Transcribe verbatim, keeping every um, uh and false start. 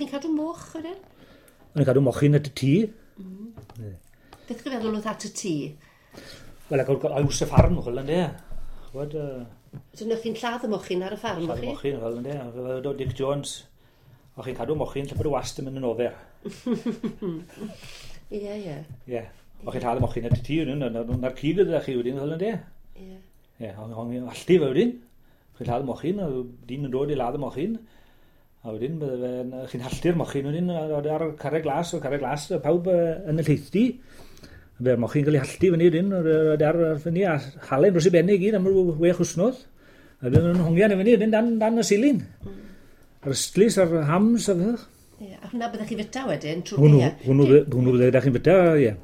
O'ch chi'n cadw moch wedyn? O'n i'n cadw mochyn at y tŷ. Mm. Beth chi'n feddwl oedd at y tŷ? Wel, ac oedd y ffarm, chwel, ynddo. Chwod, uh, So o'ch chi'n lladd y mochyn ar y ffarm, o'ch chi? Lladd y mochyn, chwel, ynddo. Fe oedd Dick Jones. O'ch chi'n cadw mochyn lle bod y wast yn mynd yn ofer. Ie, ie. Ie. O'ch chi'n lladd y mochyn at y tŷ, na'r cig ydych chi wedyn, chwel, ynddo. Ie. Ie, o'n i'n allti fe wedyn. Chi'n lladd y mochyn, a dyn yn dod i ladd y mochyn. A wedyn, bydde chi'n halltu'r mochyn wedyn, ar y carreg glas, o carreg glas, a pawb yn y lleithdi. Fe'r mochyn cael ei halltu fyny wedyn, ar, ar fyny, a halen dros i benni i gyd am ryw wech wsnos. A wedyn nhw'n hongian i fyny wedyn dan, dan y silin. Mm. A'r ystlys a'r hams a fydych. Ie, a hwnna byddech chi fyta wedyn trwy'r gaeaf? Hwnnw, hwnnw bydde chi'n fyta, ie.